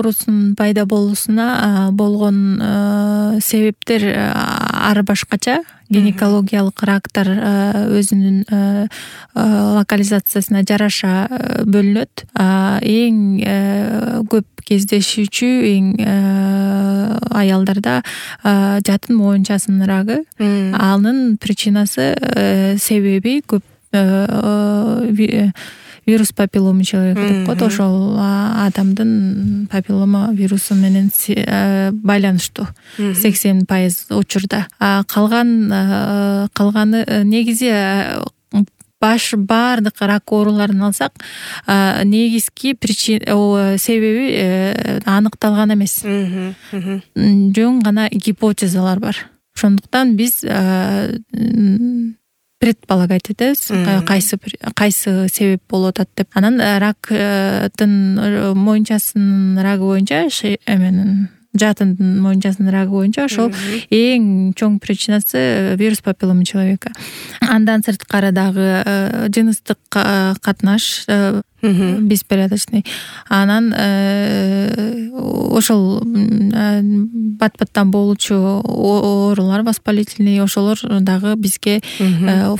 оорусунун пайда болуусуна болгон себептер ар башкача. Гинекологиялык рактар өзүнүн локализациясына жараша бөлүнөт. Эң көп кездешүүчү аялдарда жатын моюнчасынын рагы. Анын причинасы себеби көп вирус папиллома человека деп коет. Ошол адамдын папиллома вирусу менен байланыштуу 80% учурда. Калганы негизи баардык рак ооруларын алсак, негизги себеби аныкталган эмес. Жөн гана гипотезалар бар. Ошондуктан биз предполагать этебиз, кайсы себеп болуп атат деп. Анан рактын моюнчасынын рагы боюнча, жатын моюнчасынын рагы боюнча ошол эң чоң причинасы вирус папиллома человека. Андан сырткары дагы жыныстык катнаш, беспорядочный. Анан ошол бат-баттан болуучу оорулар воспалительный, ошолор дагы бизге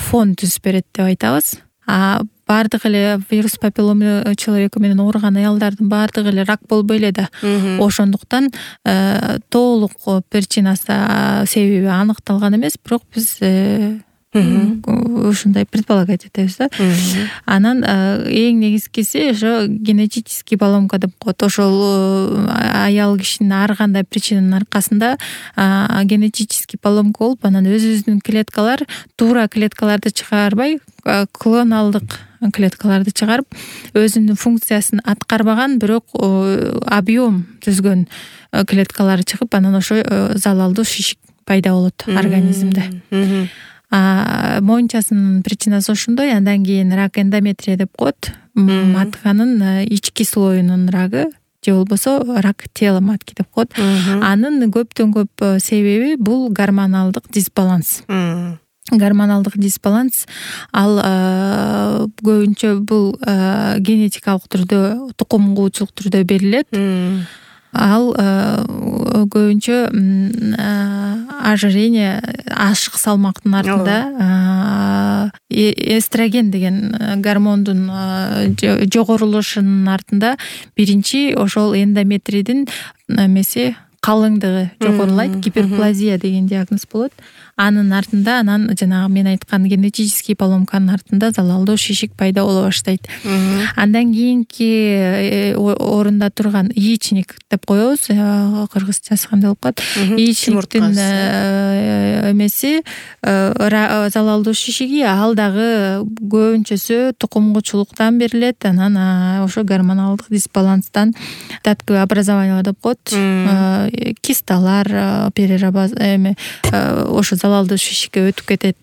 фон түзүп берет деп айтабыз. Бардык эле вирус папиллома человека менен ооруган аялдардын бардыгы эле рак болбой эле да. Ошондуктан толук причинасы, себеби аныкталган эмес, бирок биз ушундай предполагать этебиз да. Анан эң негизгиси ошо генетический поломка деп коет. Ошол аял кишинин ар кандай причинанын аркасында генетический поломка болуп, анан өзүбүздүн клеткалар туура клеткаларды чыгарбай, клоналдык клеткаларды чыгарып, өзүнүн функциясын аткарбаган, бирок объем түзгөн клеткалар чыгып, анан ошо залалдуу шишик пайда болот организмде. Моюнчасынын причинасы ошондой. Андан кийин рак эндометрия деп коет. Матканын ички слоюнун рагы, же болбосо рак тела матки деп коет. Анын көптөн көп себеби бул гормоналдык дисбаланс. Гормоналдык дисбаланс ал көбүнчө бул генетикалык түрдө, тукумгуучулук түрдө берилет. Ал көбүнчө ожирение, ашык салмактын артында, эстроген деген гормондун жогорулушунун артында биринчи ошол эндометрийдин калыңдыгы жогорулайт, гиперплазия деген диагноз болот. Анын артында анан жанагы мен айткан генетический поломканын артында залалдуу шишик пайда боло баштайт. Андан кийинки орунда турган яичник деп коебуз, кыргызчасы кандай болуп калат? Яичниктин залалдуу шишиги, ал дагы көбүнчөсү тукумгучулуктан берилет. Анан ошо гормоналдык дисбаланстан татковый образование деп коет. Кисталар, ошо залалдуу шишикке өтүп кетет.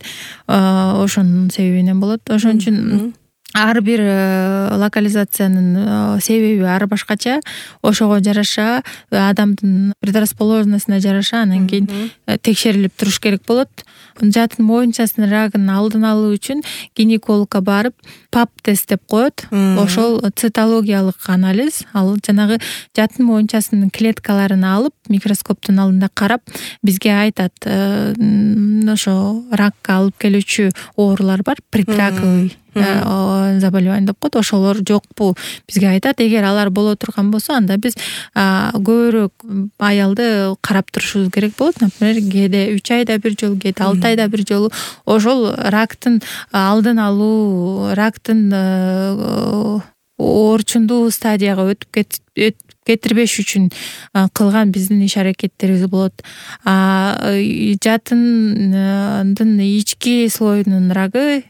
Ошонун себебинен болот. Ошон үчүн ар бир локализациянын себеби ар башкача. Ошого жараша, адамдын предрасположенностуна жараша анан кийин текшерилип туруш керек болот. Жатын моюнчасынын рагын алдын алуу үчүн гинекологко барып, ПАП тест деп коет. Ошол цитологиялык анализ. Ал жанагы жатын моюнчасынын клеткаларын алып, микроскоптун алдында карап, бизге айтат, ошо ракка алып келүүчү оорулар бар, предраковый заболевание деп коет. Ошолор жокпу бизге айтат. Эгер алар боло турган болсо, анда биз көбүрөөк аялды карап турушубуз керек болот. Например, кээде 3 айда бир жолу, кээде 6 айда бир жолу ошол рактын алдын алуу, рактын орчундуу стадияга өтүп кетирбеш үчүн кылган биздин иш аракеттерибиз болот. Жатындын ички слоюнун рагы,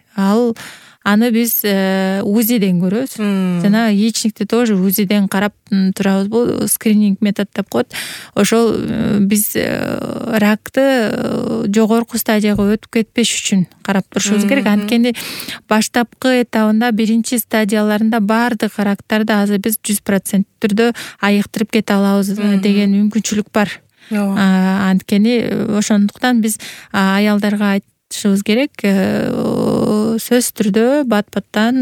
аны биз УЗИден көрөбүз. Жана яичникти тоже УЗИден карап турабыз. Бул скрининг метод деп коет. Ошол биз ракты жогорку стадияга өтүп кетпеш үчүн карап турушубуз керек. Анткени баштапкы этабында, биринчи стадияларында бардык рактарды азыр биз 100% түрдө айыктырып кете алабыз деген мүмкүнчүлүк бар. Анткени ошондуктан биз аялдарга айтышыбыз керек, сөзсүз түрдө бат-баттан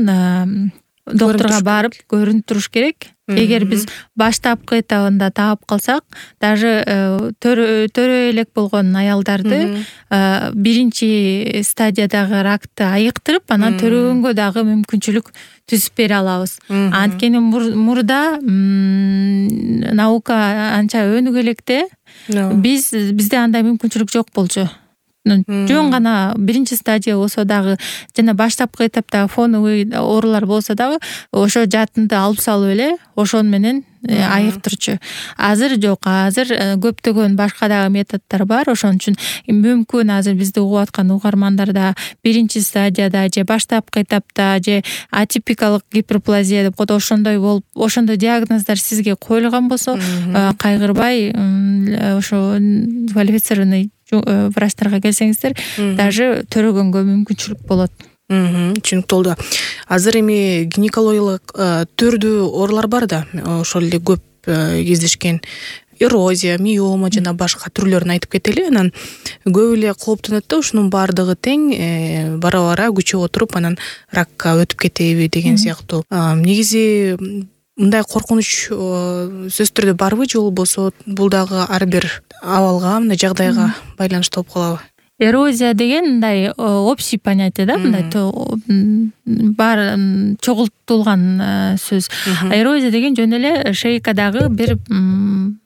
доктурга барып көрүнүп туруш керек. Эгер биз баштапкы этабында таап калсак, даже төрө элек болгон аялдарды биринчи стадиядагы ракты айыктырып, анан төрөгөнгө дагы мүмкүнчүлүк түзүп бере алабыз. Анткени мурда наука анча өнүгө электе бизде андай мүмкүнчүлүк жок болчу. Жөн гана биринчи стадия болсо дагы жана баштапкы этаптагы фоновый оорулар болсо дагы ошо жатынды алып салып эле ошон менен айыктырчу. Азыр жок, азыр көптөгөн башка дагы методдор бар. Ошон үчүн мүмкүн азыр бизди угуп аткан угармандарда биринчи стадияда же баштапкы этапта же атипикалык гиперплазия деп коет, ошондой болуп, ошондой диагноздар сизге коюлган болсо, кайгырбай ошо квалифицированный врачтарга келсеңиздер, даже төрөгөнгө мүмкүнчүлүк болот. Түшүнүктүү болду. Азыр эми гинекологиялык түрдүү оорулар бар да, ошол эле көп кездешкен эрозия, миома жана башка түрлөрүн айтып кетели. Анан көп эле кооптонот да, ушунун баардыгы тең бара күчөп отуруп, анан ракка өтүп кетеби деген сыяктуу. Негизи мындай коркунуч сөзсүз түрдө барбы, же болбосо бул дагы ар бир абалга, мындай жагдайга байланыштуу болуп калабы? Эрозия деген мындай общий понятие да, мындай бар чогултулган сөз. Эрозия деген жөн эле шейкадагы бир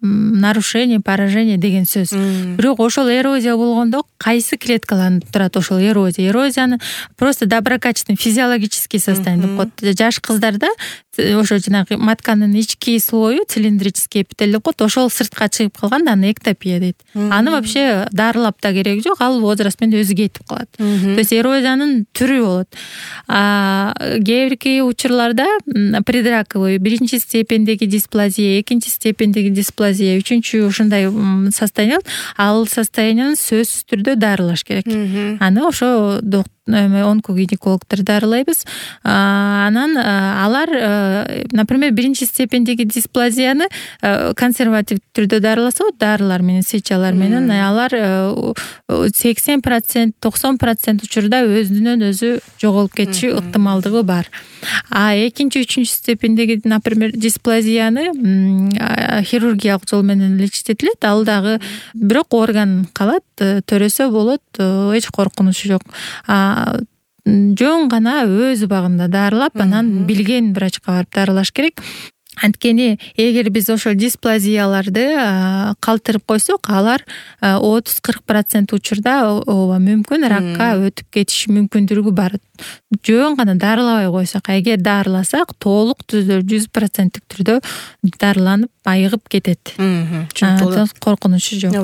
нарушение, поражение деген сөз. Бирок ошол эрозия болгондо кайсы клеткалардан турат ошол эрозия? Эрозияны просто доброкачественный физиологический состояние деп коет. Жаш кыздарда ошо жанагы матканын ички слою, цилиндрический эпителий деп коет, ошол сыртка чыгып калганда аны эктопия дейт. Аны вообще дарылап да кереги жок, ал возраст менен өзү кетип калат. То есть эрозиянын түрү болот. Кээ бирки учурларда предраковый биринчи степендеги дисплазия, экинчи степендеги дисплазия, үчүнчү ушундай состояние, ал состоянияны сөзсүз түрдө дарылаш керек. Аны ошо онкогинекологдор дарылайбыз. Анан алар, например, биринчи степендеги дисплазияны консерватив түрдө дарыласа, дарылар менен, свечалар менен, алар 80%, 90% учурда өзүнөн өзү жоголуп кетиши ыктымалдыгы бар. Экинчи, үчүнчү степендеги, например, дисплазияны хирургиялык жол менен лечитетилет. Ал дагы бирок орган калат, төрөсө болот, эч коркунучу жок. Жөн гана өз убагында дарылап, анан билген врачка барып дарылаш керек. Анткени эгер биз ошол дисплазияларды калтырып койсок, алар 30-40% учурда мүмкүн ракка өтүп кетиши мүмкүндүгү бар. Жөн гана дарылабай койсок, эгер дарыласак, толук түздө 100% түрдө дарыланып айыгып кетет. Коркунучу жок.